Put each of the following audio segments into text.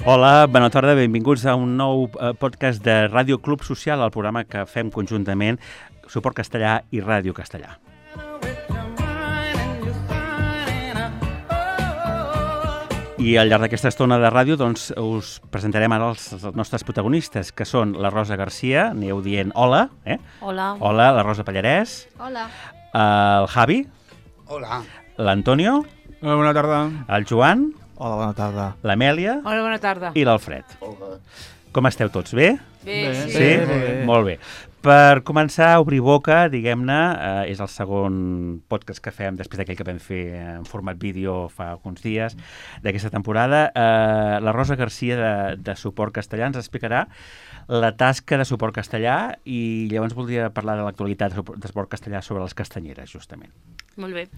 Hola, bona tarda, benvinguts a un nou podcast de Ràdio Club Social, el programa que fem conjuntament Suport Castellà i Ràdio Castellà. I al llarg d'aquesta estona de ràdio doncs, us presentarem ara els nostres protagonistes, que són la Rosa Garcia, aneu dient hola. Hola. Hola, la Rosa Pallarès. Hola. El Javi. Hola. L'Antonio. Hola, bona tarda. El Joan. Hola, bona tarda. L'Amèlia. Hola, bona tarda. I l'Alfred. Hola. Com esteu tots? Bé? Bé, sí. Sí? Bé. Molt bé. Per començar a obrir boca, diguem-ne, és el segon podcast que fem després d'aquell que vam fer en format vídeo fa alguns dies d'aquesta temporada. La Rosa Garcia de Suport Castellà ens explicarà la tasca de Suport Castellà i llavors voldria parlar de l'actualitat de Suport Castellà sobre les castanyeres, justament. Molt bé.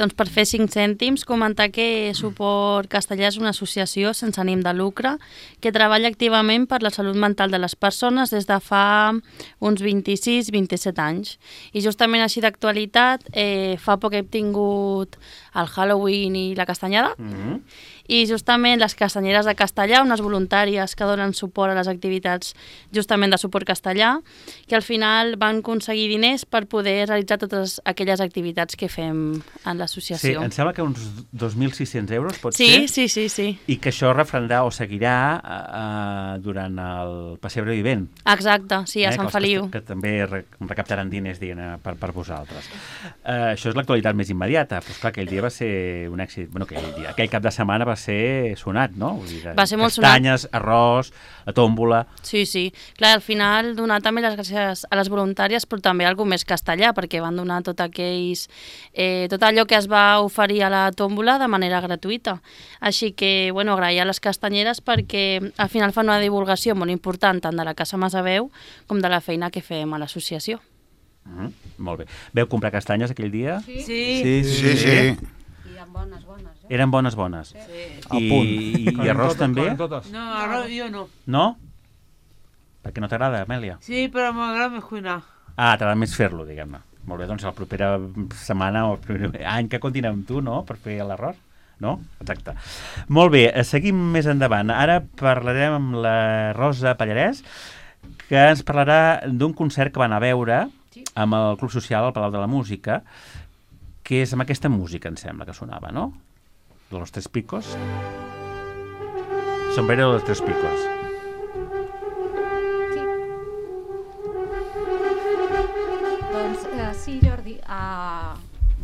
Doncs per fer 5 cèntims, comentar que Suport Castellà és una associació sense ànim de lucre que treballa activament per la salut mental de les persones des de fa uns 26-27 anys. I justament així d'actualitat, fa poc hem tingut el Halloween i la castanyada, i justament les castanyeres de Castellà, unes voluntàries que donen suport a les activitats justament de Suport Castellà, que al final van aconseguir diners per poder realitzar totes aquelles activitats que fem en l'associació. Sí, em sembla que uns 2.600 euros pot ser? Sí. I que això refrendrà o seguirà durant el Passebre Vivent. Exacte, sí, a Sant Feliu. Que també recaptaran diners per vosaltres. Això és l'actualitat més immediata, però esclar, aquell dia va ser un èxit. Bueno, aquell cap de setmana va ser sonat, no? Vull dir, va ser molt sonat. Castanyes, arròs, la tòmbola... Sí. Clar, al final donar també les gràcies a les voluntàries, però també alguna més castellà, perquè van donar tot allò que es va oferir a la tòmbola de manera gratuïta. Així que, agrair a les castanyeres perquè al final fan una divulgació molt important tant de la Casa Masaveu com de la feina que fem a l'associació. Molt bé. Veu comprar castanyes aquell dia? Sí. Eren bones. Sí. I arròs també? No, arròs jo no. No? Perquè no t'agrada, Amèlia? Sí, però m'agrada més cuinar. T'agrada més fer-lo, diguem-ne. Molt bé, doncs la propera setmana o el primer any que continuem amb tu, no?, per fer l'arròs. No? Exacte. Molt bé, seguim més endavant. Ara parlarem amb la Rosa Pallarès, que ens parlarà d'un concert que van a veure amb el Club Social al Palau de la Música, que és amb aquesta música, em sembla, que sonava, no? De los Tres Picos. Sombrero de los Tres Picos. Sí, Jordi,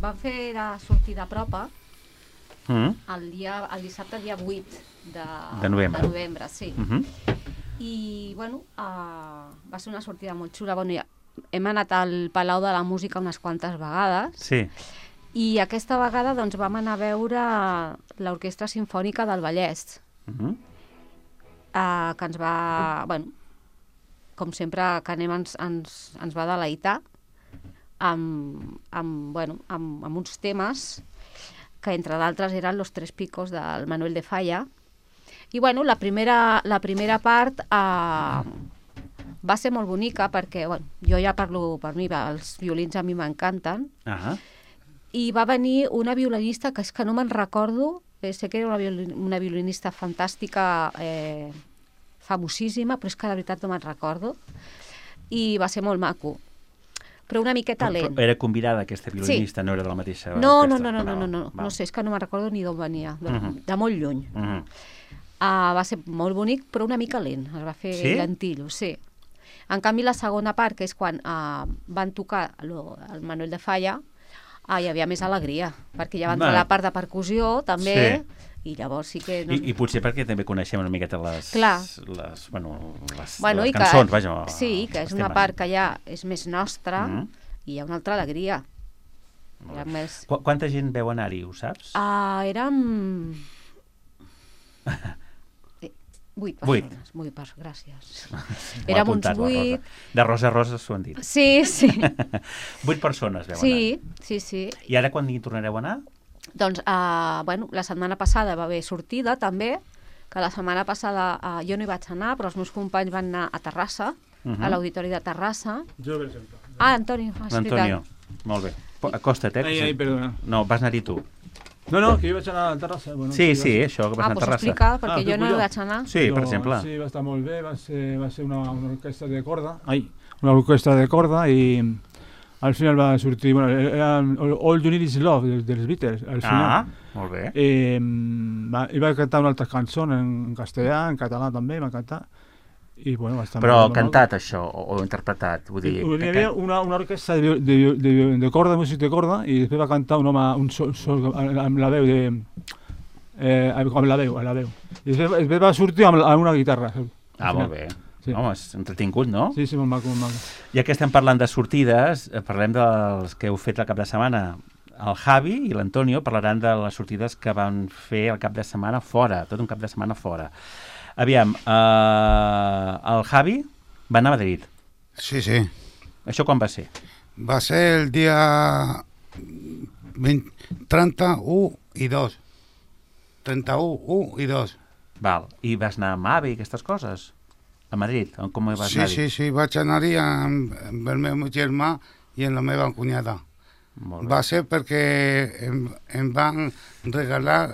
vam fer la sortida a Propa el dissabte, dia 8 de novembre, sí. I, va ser una sortida molt xula. Hem anat al Palau de la Música unes quantes vegades. Sí. I aquesta vegada doncs, vam anar a veure l'Orquestra Simfònica del Vallès, que ens va, com sempre que anem ens va deleitar amb uns temes que entre d'altres eren Los Tres Picos del Manuel de Falla. I la primera part va ser molt bonica perquè jo ja parlo per mi, els violins a mi m'encanten. I va venir una violinista que és que no me'n recordo, sé que era una violinista fantàstica, famosíssima, però és que de veritat no me'n recordo, i va ser molt maco, però una miqueta lent. Però era convidada aquesta violinista, sí. No era de la mateixa no, orquestra? No sé, és que no me'n recordo ni d'on venia, de molt lluny. Va ser molt bonic, però una mica lent, es va fer lentillo, sí. En canvi, la segona part, que és quan van tocar el Manuel de Falla, hi havia més alegria, perquè ja va entrar la part de percussió, també, i llavors sí que... I potser perquè també coneixem una miqueta les cançons, vaja. Sí, que és una part que ja és més nostra i hi ha una altra alegria. Quanta gent veu anar-hi, ho saps? Érem... 8 persones. 8, gràcies. Érem uns 8... De rosa a rosa s'ho han dit. Sí. 8 persones veu anar. Sí. I ara quan hi tornareu a anar? Doncs, la setmana passada va haver sortida, també, que la setmana passada jo no hi vaig anar, però els meus companys van anar a Terrassa, a l'Auditori de Terrassa. Jo, per exemple. Antonio, L'Antonio, molt bé. Acosta't, Ai, perdona. No, vas anar-hi tu. No, que jo vaig anar a la terrassa. Bueno, Sí, això, que vas anar a Doncs Terrassa. explica, perquè jo explico no hi jo. vaig anar. Sí, per exemple. Sí, va estar molt bé, va ser una orquestra de corda. Una orquestra de corda i al final va sortir, bueno, era All You Need Is Love dels Beatles, al final. Molt bé. I va cantar una altra cançó en castellà, en català també, va cantar. I, bueno, va estar Però molt bé. cantat això, o interpretat, vull dir... Hi havia una orquestra de corda, música de corda, i després va cantar un home, un sol amb la veu amb la veu. I després va sortir amb una guitarra. molt bé. Sí. Home, és entretingut, no? Sí, molt maco, molt maco. Ja que estem parlant de sortides, parlem dels que heu fet el cap de setmana. El Javi i l'Antonio parlaran de les sortides que van fer el cap de setmana fora, tot un cap de setmana fora. Aviam, el Javi va anar a Madrid. Sí, sí. Això quan va ser? Va ser el dia 31 i 2. 31, 1 i 2. Val. I vas anar amb AVE i aquestes coses? A Madrid? Com hi vas Sí, anar-hi? sí, vaig anar-hi amb el meu germà i amb la meva cunyada. Molt bé. Va ser perquè em van regalar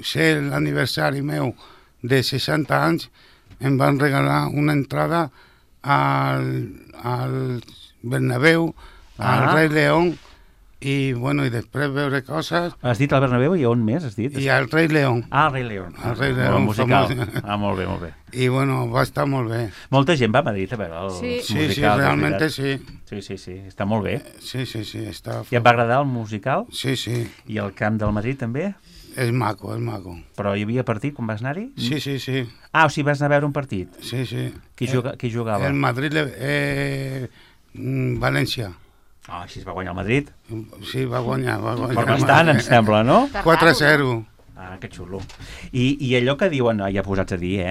ser l'aniversari meu de 60 anys, em van regalar una entrada al Bernabéu, al Rei León, i després veure coses. Has dit al Bernabéu i on més has dit? I al Rei León. El Rei León. El Rei León, El musical. famós. Molt bé, molt bé. I va estar molt bé. Molta gent va a Madrid a veure els Sí. musicals. Sí, realment és sí. veritat. Sí, està molt bé. Sí, està... I et va agradar el musical? Sí, I el camp del Madrid també? és maco. Però hi havia partit quan vas anar-hi? Sí. O sigui, vas anar a veure un partit? Sí. Qui jugava? El Madrid, València. Així es va guanyar el Madrid. Sí, va guanyar. Per bastant, em sembla, no? 4-0. Que xulo. I allò que diuen, ja posats a dir,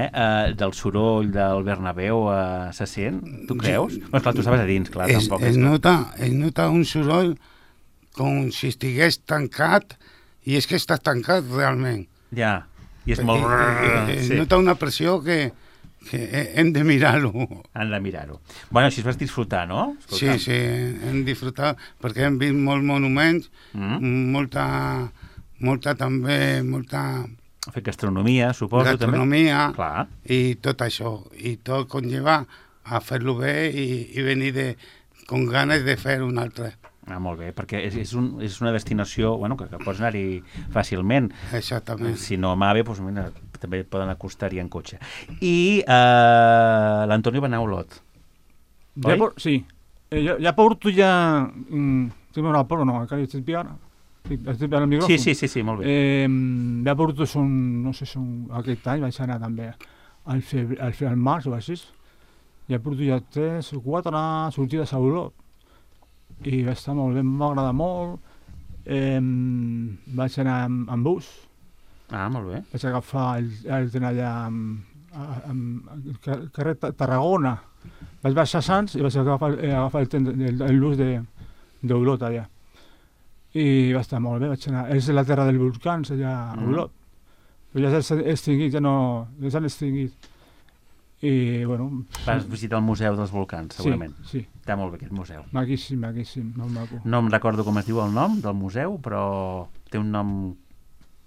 del soroll del Bernabéu se sent? Tu creus? Doncs clar, tu estaves a dins, clar, tampoc. Es nota un soroll com si estigués tancat, i és que està tancat realment. Ja, i és molt... Es nota una pressió que hem de mirar-ho. Han de mirar-ho. Bueno, així es vas disfrutar, no? Sí, hem disfrutat, perquè hem vist molts monuments, molta Fer gastronomia, suposo, gastronomia, també. Clar. i tot això. I tot conlleva a fer-lo bé i venir con ganes de fer un altre. Molt bé, perquè és una destinació que pots anar-hi fàcilment. Exactament. Si no amb AVE, doncs, mira, també poden acostar-hi en cotxe. I l'Antonio va anar a Olot. Oi? Sí. Ja porto ja... Estic veure el porro, no, encara estic piant. Estic veure el micròfon. Sí, molt bé. Ja porto, no sé, aquest any vaig anar també al març o així. Ja porto ja 3 o 4 sortides a Olot. I va estar molt bé, m'agrada molt. Vaig anar amb bus. Molt bé. Vaig agafar el tren allà al carrer Tarragona. Vaig baixar a Sants i vaig agafar el tren el bus d'Olot allà. I va estar molt bé, vaig anar. És la terra dels volcans allà a Olot. Però ja s'han extingit, ja s'han extingit. I, bueno... Vas visitar el Museu dels Volcans, segurament. Sí. Està molt bé aquest museu. Maquíssim, molt maco. No em recordo com es diu el nom del museu, però té un nom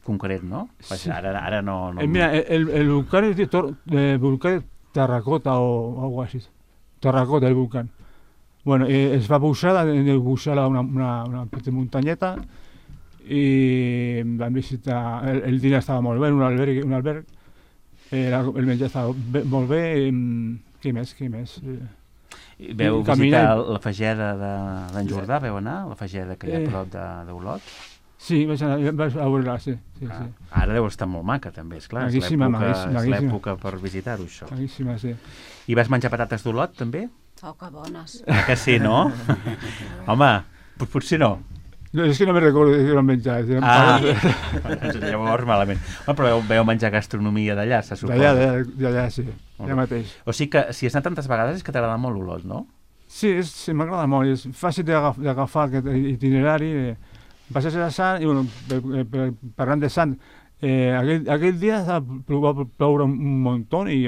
concret, no? Sí. Ara no... Mira, el volcán es volcán de Terracota o algo así. Terracota, el volcán. Bueno, es va pujar una petita muntanyeta i vam visitar... El dinar estava molt bé, un alberg. El menjar estava molt bé. Què més? Veu visitar la Fageda d'en Jordà, veu anar? La Fageda que hi ha a prop d'Olot? Sí, vaig a veure-la, sí. Ara deu estar molt maca, també, esclar. Maquíssima. És l'època per visitar-ho, això. Maquíssima, sí. I vas menjar patates d'Olot, també? Que bones. Que sí, no? Home, potser no. No, és que no me recordo que ho vam menjar. Llavors malament. Però veu menjar gastronomia d'allà, se suposa. D'allà, sí. Allà mateix. O sigui que si has anat tantes vegades és que t'agrada molt Olot, no? Sí, m'agrada molt. És fàcil d'agafar aquest itinerari. Vas a ser a Sant i, parlant de Sant, aquell dia va ploure un muntó i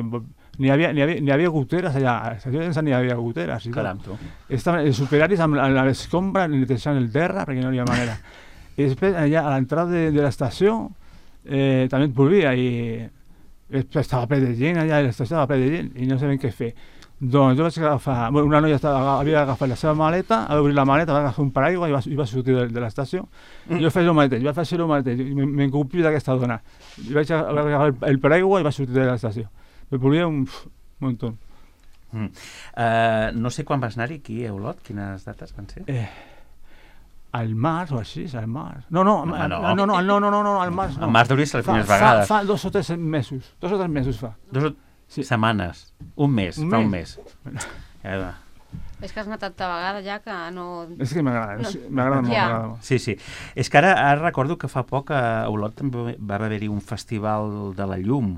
n'hi havia goteres allà. A l'estació de Sant n'hi havia goteres. Caram, tu. Estaven els superaris amb l'escombra netejant el terra perquè no hi havia manera. i després allà a l'entrada de l'estació també et volia i estava ple de gent allà, l'estació estava ple de gent i no sabem què fer. Doncs jo vaig agafar, bueno, una noia havia agafat la seva maleta, va obrir la maleta, va agafar un paraigua i va sortir de l'estació. Jo faig el mateix, vaig fer el mateix, m'encupio d'aquesta dona. I vaig agafar el paraigua i va sortir de l'estació. Me volia un muntó. No sé quan vas anar-hi aquí a Olot, quines dates van ser? Al març o així, al març. No, al març no. Al març deuria ser les primeres vegades. Fa 2 o 3 mesos. 2 o 3 mesos fa. Sí. Setmanes. Un mes. Fa un mes. És que has anat tanta vegada ja que no... És que m'agrada, m'agrada molt. Sí. És que ara recordo que fa poc a Olot també va haver-hi un festival de la llum,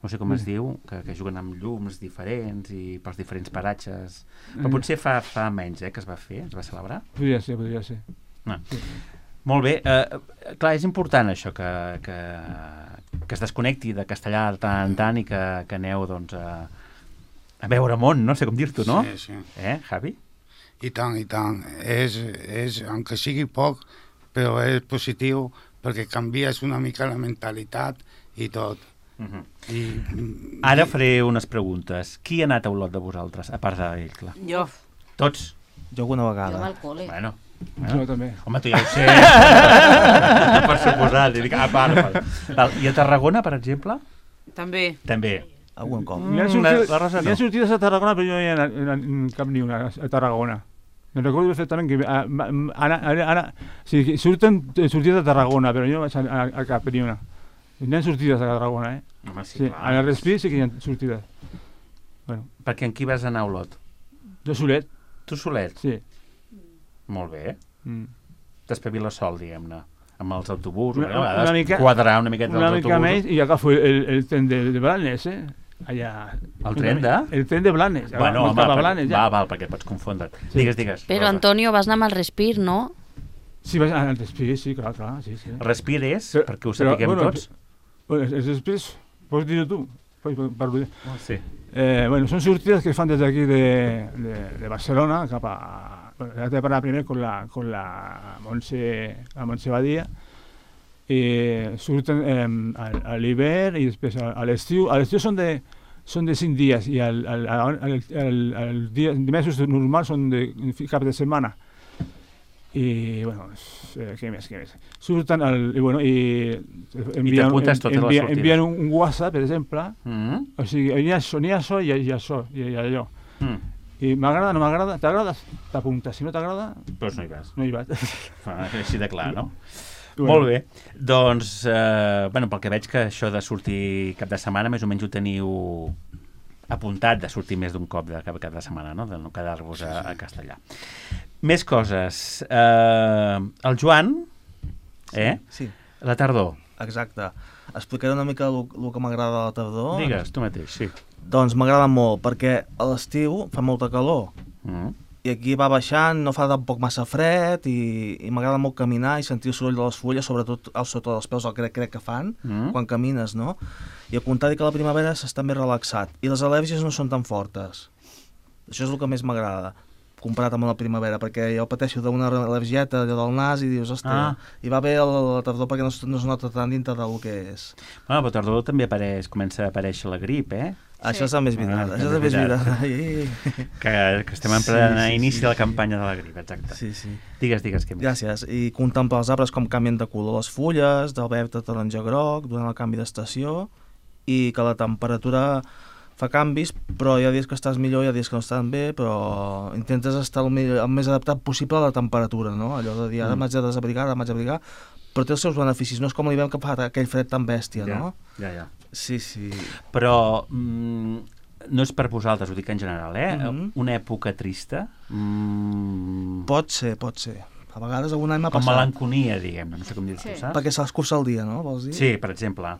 no sé com es diu, que juguen amb llums diferents i pels diferents paratges. Però potser fa menys que es va fer, es va celebrar. Podria ser. No. Sí. Molt bé. Clar, és important això, que es desconnecti de castellà de tant en tant i que aneu doncs, a veure món, no sé com dir-t'ho, no? Sí. Javi? I tant. És, aunque sigui poc, però és positiu perquè canvies una mica la mentalitat i tot. Ara faré unes preguntes. Qui ha anat a Olot de vosaltres, a part d'ell, clar? Jo. Tots? Jo alguna vegada. Jo al col·le. Bueno. Jo també. Home, tu ja ho sé. Per suposat. I a Tarragona, per exemple? També. Algun cop. N'hi ha sortides a Tarragona, però jo no hi he anat cap ni una a Tarragona. Me recordo perfectament que surten sortides a Tarragona, però jo no vaig a cap ni una. N'hi ha sortides a Tarragona, Home, sí, a la Respí sí que hi ha sortides. Bueno. Perquè en qui vas anar a Olot? Jo solet. Tu solet? Sí. Molt bé. T'espaviles sol, diguem-ne, amb els autobusos. Una mica, quadrar una miqueta una els mica autobusos. més i agafo el tren de Blanes, allà. El tren de? El tren de Blanes. Bueno, home, Blanes, ja. val, perquè pots confondre't. Sí. Digues. Però, Antonio, vas anar amb el Respir, no? Sí, vaig anar al Respir, sí, clar, sí. El Respir és, perquè ho sapiguem tots? Els Respirs, pots dir-ho tu? Sí. Són sortides que fan des d'aquí de Barcelona cap a... He de parlar primer con la Montse Badia i surten a l'hivern i després a l'estiu. A l'estiu són de 5 dies i els dimesos normals són de cap de setmana. I, bueno, què més? Surten i envien un WhatsApp, per exemple, o sigui, hi ha això i això i allò. I m'agrada, no m'agrada, t'agrada, t'apuntes, si no t'agrada... Doncs no hi vas. No hi vas. Així de clar, no? Molt bé. Doncs, pel que veig que això de sortir cap de setmana més o menys ho teniu apuntat, de sortir més d'un cop de cap de setmana, no? De no quedar-vos a castellà. Més coses. El Joan, Sí. La tardor. Exacte. Explicaré una mica el que m'agrada de la tardor. Digues, tu mateix, sí. Doncs m'agrada molt, perquè a l'estiu fa molta calor. I aquí va baixant, no fa tampoc massa fred, i m'agrada molt caminar i sentir el soroll de les fulles, sobretot al sota dels peus, el crec que fan, quan camines, no? I al contrari que a la primavera s'està més relaxat. I les al·lèrgies no són tan fortes. Això és el que més m'agrada, comparat amb la primavera, perquè jo pateixo d'una al·lèrgieta del nas i dius, hòstia, i va bé la tardor perquè no es nota tant dintre del que és. Bueno, però a tardor també comença a aparèixer la grip, Això és el més vital, això és el més vital. Que estem en plena inici de la campanya de la grip, exacte. Sí. Digues, què més? Gràcies. I contemplar els arbres com canvien de color les fulles, del verd a taronja groc, durant el canvi d'estació, i que la temperatura fa canvis, però hi ha dies que estàs millor, hi ha dies que no estan bé, però intentes estar el més adaptat possible a la temperatura, no? Allò de dir, ara m'haig de desabrigar, però té els seus beneficis, no és com l'hivern que fa aquell fred tan bèstia, no? Ja. Sí. Però no és per vosaltres, ho dic en general, Una època trista? Pot ser. A vegades algun any m'ha passat. Com melanconia, diguem-ne, no sé com dir-ho, saps? Perquè se l'escurça el dia, no? Vols dir? Sí, per exemple.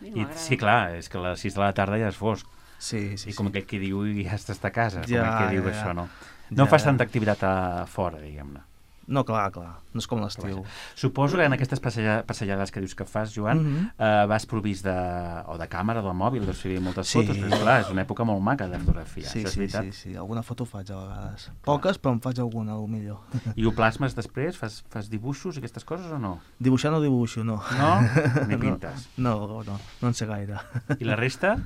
I, sí, clar, és que a les 6 de la tarda ja és fosc. Sí. I com aquell que diu, ja estàs a casa, ja, com aquell que diu això, no? No fas tanta activitat a fora, diguem-ne. No, clar, no és com l'estiu. Suposo que en aquestes passejades que dius que fas, Joan, vas provist de càmera, del mòbil, deus fer moltes fotos, però clar, és una època molt maca de fotografiar, Sí, això és veritat. sí, alguna foto faig a vegades. Poques, però em faig alguna, o millor. I ho plasmes després? Fas dibuixos i aquestes coses o no? Dibuixar no dibuixo, no. No? Ni pintes? No en sé gaire. I la resta?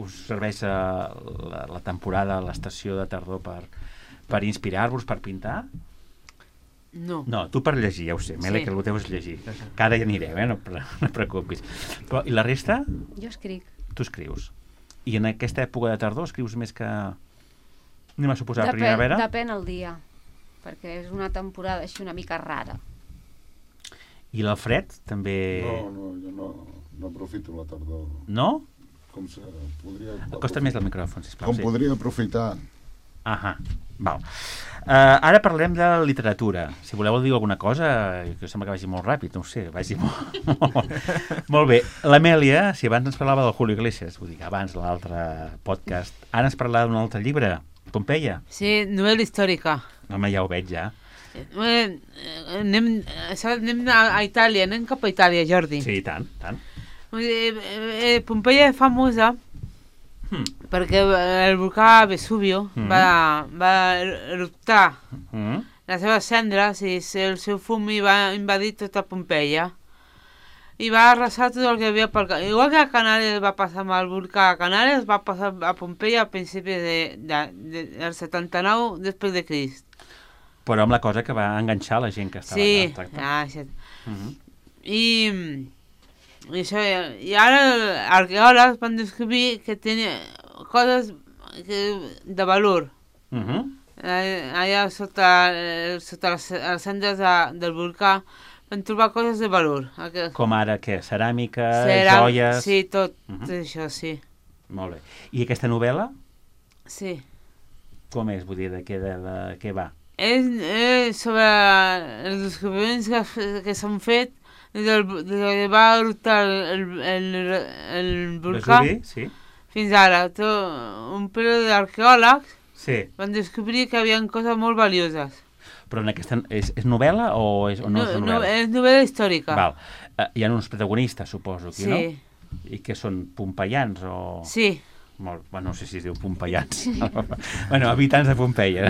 Us serveix la temporada, l'estació de tardor per inspirar-vos, per pintar? No. No, tu per llegir, ja ho sé, Mele, Sí. que el teu és llegir. Que ara hi anirem, no et preocupis. Però, i la resta? Jo escric. Tu escrius. I en aquesta època de tardor escrius més que... Anem a suposar primavera? Depèn el dia, perquè és una temporada així una mica rara. I l'Alfred també... No, jo no aprofito la tardor. No? Com se podria... Acosta't més al micròfon, sisplau. Com podria aprofitar. Ahà, val. Ara parlem de literatura. Si voleu dir alguna cosa, que sembla que vagi molt ràpid, no ho sé, vagi molt bé. L'Amèlia, si abans ens parlava del Julio Iglesias, vull dir que abans l'altre podcast, ara ens parlava d'un altre llibre, Pompeia. Sí, novel·la històrica. Home, ja ho veig, ja. Anem a Itàlia, anem cap a Itàlia, Jordi. Sí, tant. Pompeia és famosa perquè el volcà Vesubio va eruptar les seves cendres i el seu fum va invadir tota Pompeia i va arrasar tot el que havia pel camí. Igual que a Canàries va passar amb el volcà a Canàries, va passar a Pompeia a principis del 79 després de Crist. Però amb la cosa que va enganxar la gent que estava allà tractant. I ara els arqueòlegs van descobrir que tenia coses de valor. Allà sota les cendres del volcà van trobar coses de valor. Com ara què? Ceràmica, joies... Sí, tot això, sí. Molt bé. I aquesta novel·la? Sí. Com és? Vull dir, de què va? És sobre els descobriments que s'han fet des que va eruptar el volcà fins ara. Un període d'arqueòlegs van descobrir que hi havia coses molt valioses. Però en aquesta és novel·la o no és novel·la? No, és novel·la històrica. Val. Hi ha uns protagonistes, suposo, aquí, no? Sí. I que són pompeians o...? Sí. No sé si es diu pompeians. Bueno, habitants de Pompeia.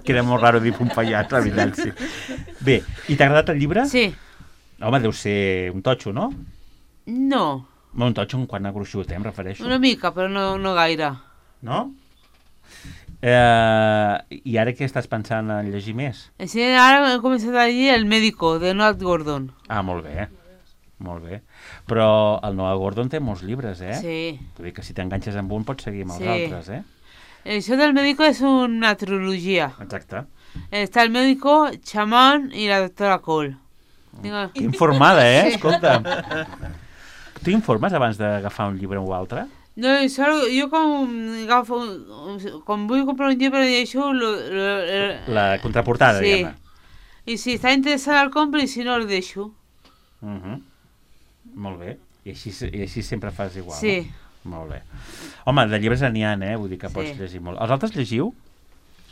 Queda molt raro dir pompeians, la veritat, sí. Bé, i t'ha agradat el llibre? Sí. Home, deu ser un totxo, no? No. Un totxo en quant a gruixut, em refereixo. Una mica, però no gaire. No? I ara què estàs pensant en llegir més? Sí, ara he començat a llegir El médico, de Noah Gordon. Ah, molt bé. Molt bé. Però el Noah Gordon té molts llibres, eh? Sí. Vull dir que si t'enganxes amb un pots seguir amb els altres, eh? Això del médico és una trilogia. Exacte. Està el médico, Chamán i la doctora Cole. Que informada, eh? Escolta. Tu informes abans d'agafar un llibre o altre? No, jo quan vull comprar un llibre llegeixo... La contraportada, diguem-ne. I si està interessat el compro i si no el deixo. Molt bé. I així sempre fas igual, sí. No? Molt bé. Home, de llibres n'hi ha, Vull dir que pots llegir molt. Els altres llegiu?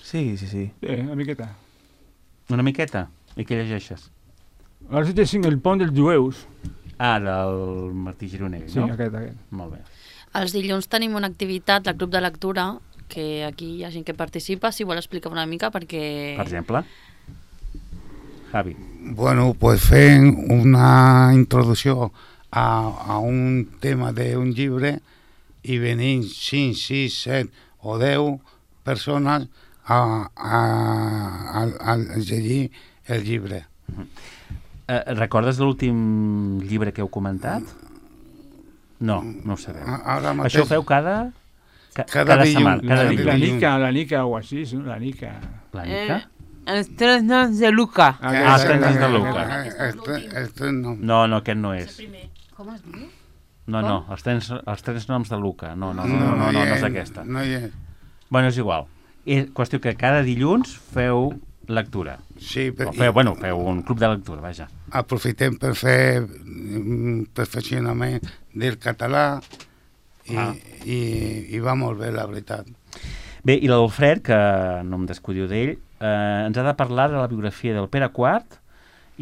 Sí. Una miqueta. Una miqueta? I què llegeixes? Ara estic llegint El pont dels jueus. Ah, del Martí Gironell, no? Sí, aquest. Molt bé. Els dilluns tenim una activitat del Club de Lectura, que aquí hi ha gent que participa, si vol explicar una mica, perquè... Per exemple? Javi. Bueno, pues fent una introducció a un tema d'un llibre i venint 5, 6, 7 o 10 persones a llegir el llibre. Recordes l'últim llibre que heu comentat? No ho sabeu. Mateix, això ho feu cada setmana? La Nica o així, no? La Nica. La Nica? Els tres noms de Luca. Els tres noms de Luca. No, aquest no és. Com es diu? No, els tres noms de Luca. No és aquesta. No hi és. Bueno, és igual. És qüestió que cada dilluns feu lectura. Sí, feu un club de lectura, vaja. Aprofitem per fer perfeccionament del català i va molt bé, la veritat. Bé, i l'Alfred, que no em descuidiu d'ell, ens ha de parlar de la biografia del Pere IV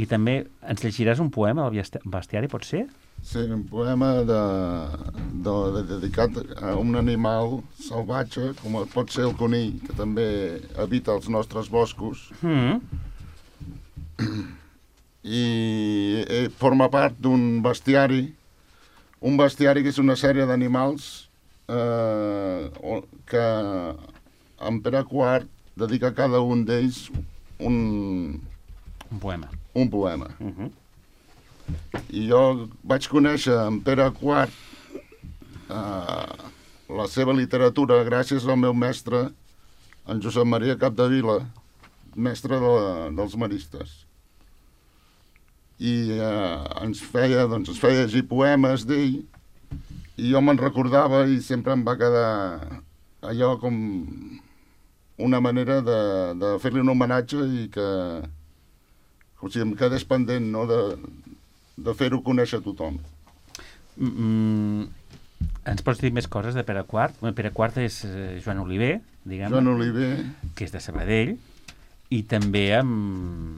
i també ens llegiràs un poema del bestiari, pot ser? Sí, un poema dedicat a un animal salvatge, com pot ser el conill, que també habita els nostres boscos. I forma part d'un bestiari, que és una sèrie d'animals que en Pere IV dedica a cada un d'ells un poema. I jo vaig conèixer en Pere IV la seva literatura gràcies al meu mestre, en Josep Maria Capdevila, mestre dels maristes. I ens feia llegir poemes d'ell, i jo me'n recordava i sempre em va quedar allò com una manera de fer-li un homenatge i que em quedés pendent, no?, de fer-ho conèixer a tothom. Ens pots dir més coses de Pere IV? Pere IV és Joan Oliver, diguem, Joan Oliver, que és de Sabadell, i també amb...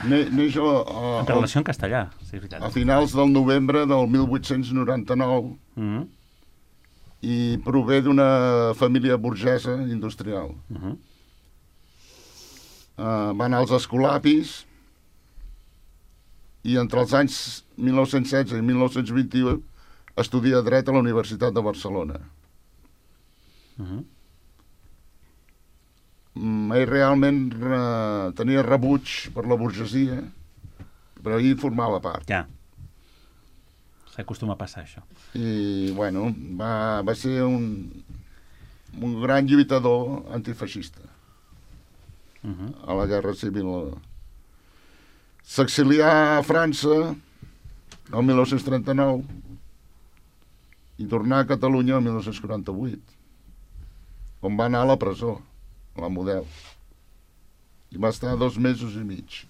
neix en relació en castellà, sí, és veritat. a finals del novembre del 1899 i prové d'una família burgesa industrial. Va anar als Escolapis i entre els anys 1916 i 1921 estudia dret a la Universitat de Barcelona. Ell realment tenia rebuig per la burgesia, però ell formava part. Ja. S'acostuma a passar, això. I, bueno, va ser un gran lluitador antifeixista a la Guerra Civil. S'exilià a França el 1939 i tornà a Catalunya el 1948, on va anar a la presó, a la Model. I va estar 2 mesos i mig.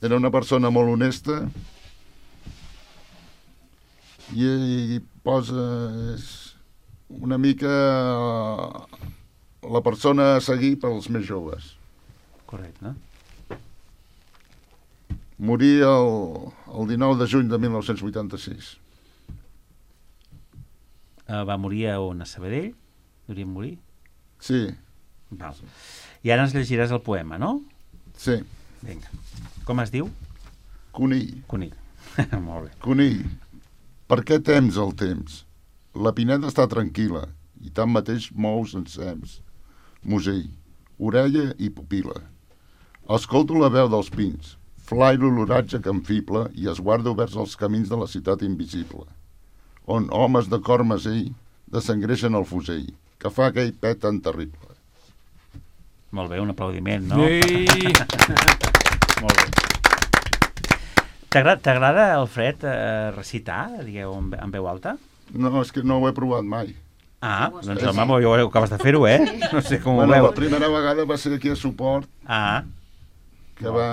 Era una persona molt honesta i posa una mica la persona a seguir pels més joves. Correcte. Morí el 19 de juny de 1986. Va morir a on? A Sabadell? Hauríem morir? Sí. Val. I ara ens llegiràs el poema, no? Sí. Vinga. Com es diu? Conill. Conill. Molt bé. Conill, per què tems el temps? La pineda està tranquil·la i tanmateix mous encems. Musell, orella i pupil·la. Escolto la veu dels pins, flairo l'oratge que em fibla i esguardo vers els camins de la ciutat invisible, on homes de cor mesell desengreixen el fusell, que fa aquell pet tan terrible. Molt bé, un aplaudiment, no? Ei! Molt bé. T'agrada, Alfred, recitar, digueu, en veu alta? No, és que no ho he provat mai. Ah, doncs home, jo acabes de fer-ho, eh? No sé com ho Bueno, veu. la primera vegada va ser aquí a Suport, Ah, que va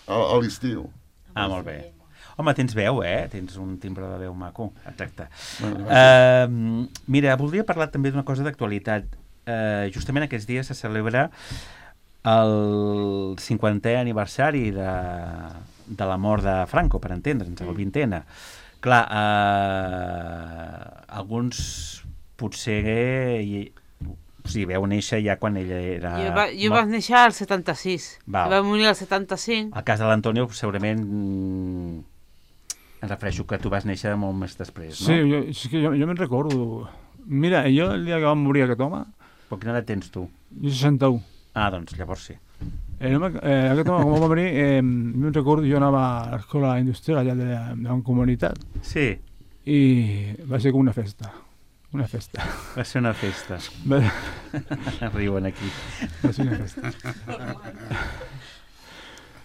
a l'estiu. molt bé. Home, tens veu, eh? Tens un timbre de veu maco. Exacte. Bueno, Mira, voldria parlar també d'una cosa d'actualitat. Justament aquests dies se celebra el 50è aniversari de la mort de Franco, per entendre'ns, el 20è. Clar, alguns potser veu néixer ja quan ella era... Jo vaig néixer al 76. Val. Va morir al 75. El cas de l'Antonio segurament em refereixo que tu vas néixer molt més després, no? Sí, és que jo me'n recordo. Mira, jo el dia que va morir aquest home, Però quina edat tens tu? jo 61. Ah, doncs llavors sí. Aquest home, com va morir, me'n recordo, jo anava a l'escola industrial allà de la comunitat Sí, i va ser com una festa. Una festa. va ser una festa. Va Riuen aquí. ser una festa.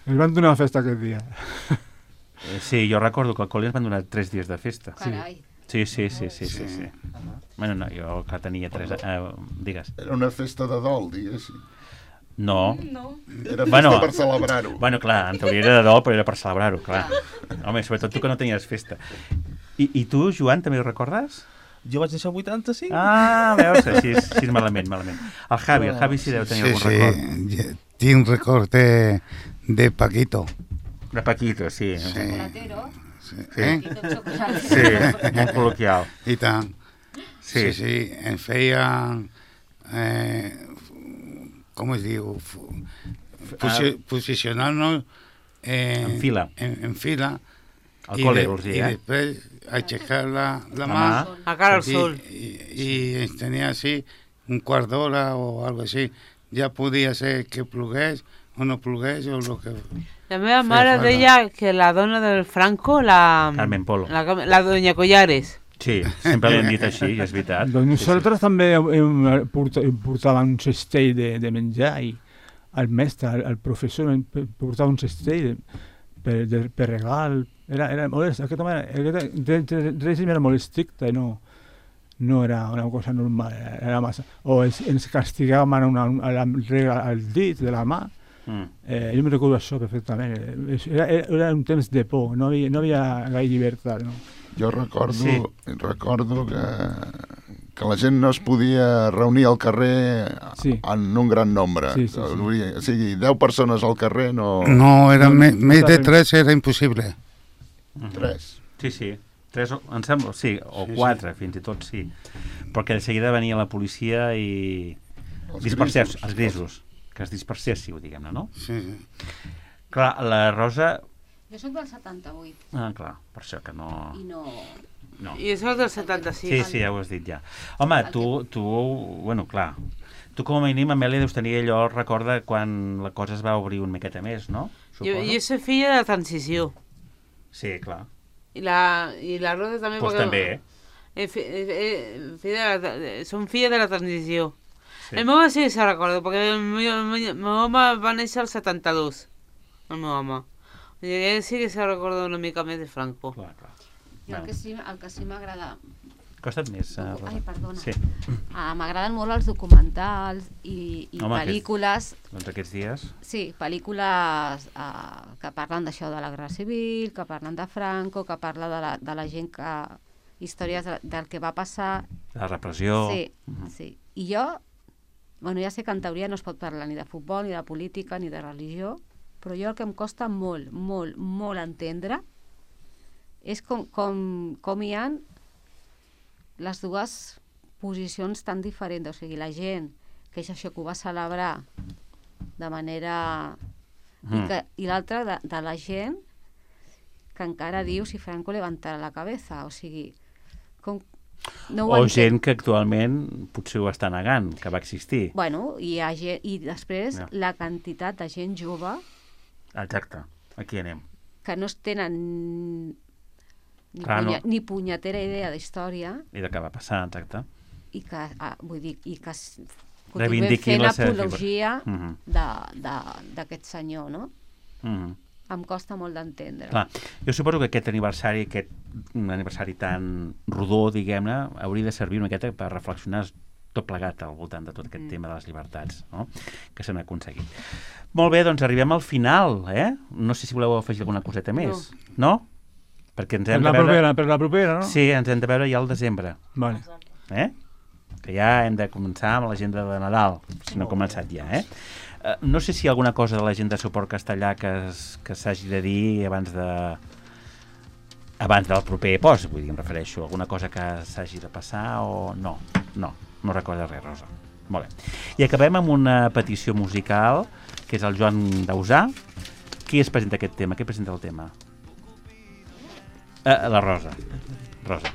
Ens van donar una festa aquest dia. Sí, jo recordo que al col·le ens van donar 3 dies de festa. Carai. Sí. Bueno, no, jo que tenia 3 digues. era una festa de dol, diguéssim. No. Era festa Bueno. per celebrar-ho. Bueno, clar, en teoria era de dol, però era per celebrar-ho, clar. Home, sobretot tu que no tenies festa. I tu, Joan, també ho recordes? Jo vaig néixer al 85. Ah, veus, així malament. El Javi sí deu tenir algun record. Sí, tinc record de Paquito. De Paquito, sí. Chocolatero. Sí. Paquito chocolatero. Sí, molt col·loquial. I tant. Sí, ens feien... com es diu? Posicionar-nos En fila. En fila. Al col·le, vols dir, I després aixecar la mà A cara al sol. i ens tenia així un quart d'hora o algo així. Ja podia ser que plogués o no plogués o el que... La meva mare deia que la dona del Franco, la Carmen Polo. La doña Collares. Sí, sempre l'hem dit així, i és veritat. Doncs nosaltres també portàvem un cistell de menjar i el mestre, el professor, portava un cistell per regal. Era molt, aquest règim era molt estricte, no era una cosa normal, era massa. O ens castigàvem al dit de la mà. Jo me recordo això perfectament. Era un temps de por, no hi havia gaire llibertat, no? Jo recordo que la gent no es podia reunir al carrer en un gran nombre. Sí. O sigui, 10 persones al carrer no... No, més de 3 era impossible. 3. Sí. 3, em sembla, sí, o 4, fins i tot sí. Perquè de seguida venia la policia i... Els grisos. Que es disperséssiu, diguem-ne, no? Sí. Clar, la Rosa... Jo soc del 78. Ah, clar, per això que no... I no... I és el del 76. Sí, ja ho has dit ja. Home, tu, bueno, clar, tu com a mínim, Amèlia, deus tenir allò, recorda quan la cosa es va obrir una miqueta més, no? Jo soc filla de la transició. Sí, clar. I la Rosa també... Pues també, Som filla de la transició. Sí. El meu home sí que se recorda, perquè el meu home va néixer al 72. El meu home. I ell sí que se recorda una mica més de Franco. Clar. Jo el que sí m'agrada... Costa't més, Rosa. Ai, perdona. Sí. M'agraden molt els documentals i pel·lícules... Doncs aquests dies... Sí, pel·lícules que parlen d'això de la Guerra Civil, que parlen de Franco, que parla de la gent que... històries del que va passar... La repressió... Sí. I jo... Bueno, ja sé que en teoria no es pot parlar ni de futbol, ni de política, ni de religió, però jo el que em costa molt, molt, molt entendre és com hi ha les dues posicions tan diferents. O sigui, la gent que és això que ho va celebrar de manera... I l'altra de la gent que encara diu si Franco levantara la cabeza. O sigui, gent que actualment potser ho està negant, que va existir. Bueno, i després la quantitat de gent jove... Exacte, aquí anem. Que no es tenen ni punyetera idea d'història. I de què va passar, exacte. I que, vull dir, continuem fent apologia d'aquest senyor, no? Em costa molt d'entendre. Clar, jo suposo que aquest aniversari tan rodó, diguem-ne, hauria de servir una miqueta per reflexionar tot plegat al voltant de tot aquest tema de les llibertats, no? Que s'han aconseguit. Molt bé, doncs arribem al final, No sé si voleu afegir alguna coseta més. No? Perquè ens hem de veure... Per la propera, no? Sí, ens hem de veure ja al desembre. Vale. Que ja hem de començar amb l'agenda de Nadal, si no ha començat ja, No sé si hi ha alguna cosa de l'agenda de suport castellà que s'hagi de dir abans del proper post, vull dir, em refereixo. Alguna cosa que s'hagi de passar o no? No recorda res, Rosa. Molt bé. I acabem amb una petició musical, que és el Joan Dausà. Qui es presenta aquest tema? Qui presenta el tema? La Rosa. Rosa.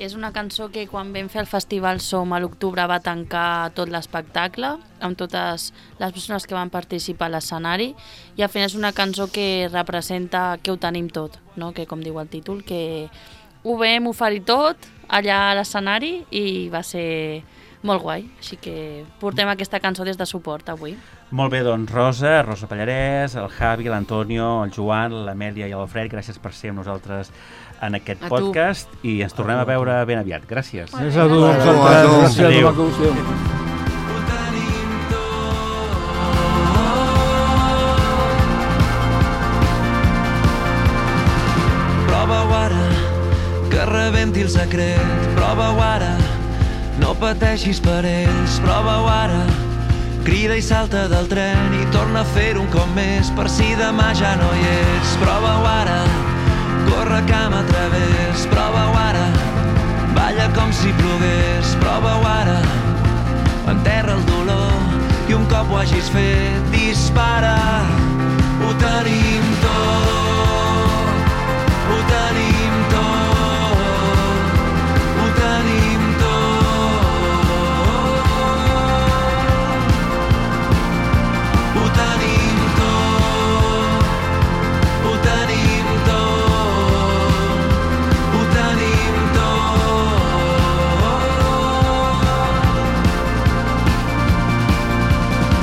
És una cançó que quan vam fer el Festival Som a l'octubre va tancar tot l'espectacle amb totes les persones que van participar a l'escenari i al final és una cançó que representa que ho tenim tot, no? Que com diu el títol, que ho vam oferir tot allà a l'escenari i va ser molt guai, així que portem aquesta cançó des de suport avui. Molt bé, doncs Rosa Pallarès, el Javi, l'Antonio, el Joan, l'Amèlia i l'Alfred, gràcies per ser amb nosaltres en aquest podcast i ens tornem a veure ben aviat. Gràcies. Gràcies a tu. Gràcies a tu. Prova-ho ara, que rebent sentir el secret. Prova-ho ara, no pateixis per ells. Prova-ho ara, crida i salta del tren i torna a fer-ho un cop més per si demà ja no hi ets. Prova-ho ara, corre camp a través. Prova-ho ara, balla com si plogués. Prova-ho ara, enterra el dolor i un cop ho hagis fet, dispara. Ho tenim tot, ho tenim tot, ho tenim tot, ho tenim tot, ho tenim tot, ho tenim tot.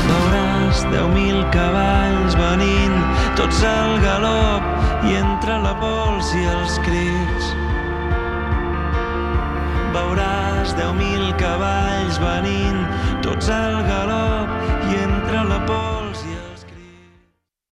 Veuràs 10.000 cavalls venint, tots al galop, i entre la pols i els crits. Veuràs 10.000 cavalls venint, tots al galop, i entre la pols